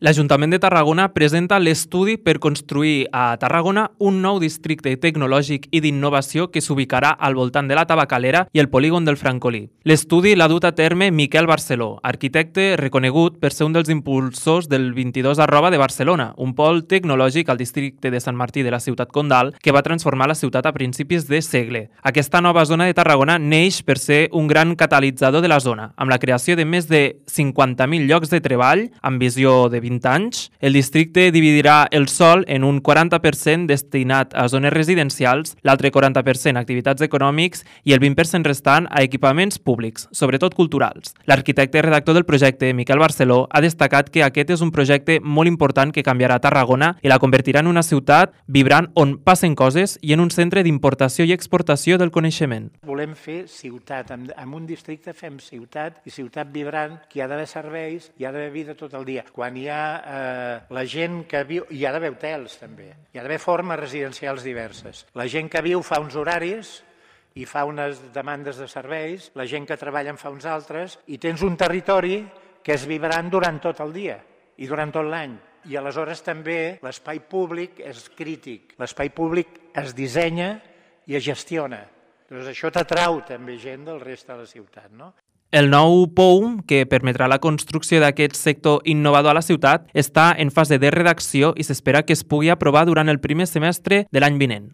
L'Ajuntament de Tarragona presenta l'estudi per construir a Tarragona un nou districte tecnològic i d'innovació que s'ubicarà al voltant de la Tabacalera i el polígon del Francolí. L'estudi l'ha dut a terme Miquel Barceló, arquitecte reconegut per ser un dels impulsors del 22 de Barcelona, un pol tecnològic al districte de Sant Martí de la ciutat Condal que va transformar la ciutat a principis de segle. Aquesta nova zona de Tarragona neix per ser un gran catalitzador de la zona, amb la creació de més de 50.000 llocs de treball amb visió de 20 anys. El districte dividirà el sòl en un 40% destinat a zones residencials, l'altre 40% a activitats econòmics i el 20% restant a equipaments públics, sobretot culturals. L'arquitecte i redactor del projecte, Miquel Barceló, ha destacat que aquest és un projecte molt important que canviarà Tarragona i la convertirà en una ciutat vibrant on passen coses i en un centre d'importació i exportació del coneixement. Volem fer ciutat, en un districte fem ciutat i ciutat vibrant, que hi ha d'haver serveis, hi ha d'haver vida tot el dia. Quan hi ha la gent que viu, hi ha d'haver hotels també, hi ha d'haver formes residencials diverses. La gent que viu fa uns horaris i fa unes demandes de serveis, la gent que treballa en fa uns altres, i tens un territori que és vibrant durant tot el dia i durant tot l'any. I aleshores també l'espai públic és crític. L'espai públic es dissenya i es gestiona. Doncs això t'atrau també gent del reste de la ciutat, no? El nou POUM, que permetrà la construcció d'aquest sector innovador a la ciutat, està en fase de redacció i s'espera que es pugui aprovar durant el primer semestre de l'any vinent.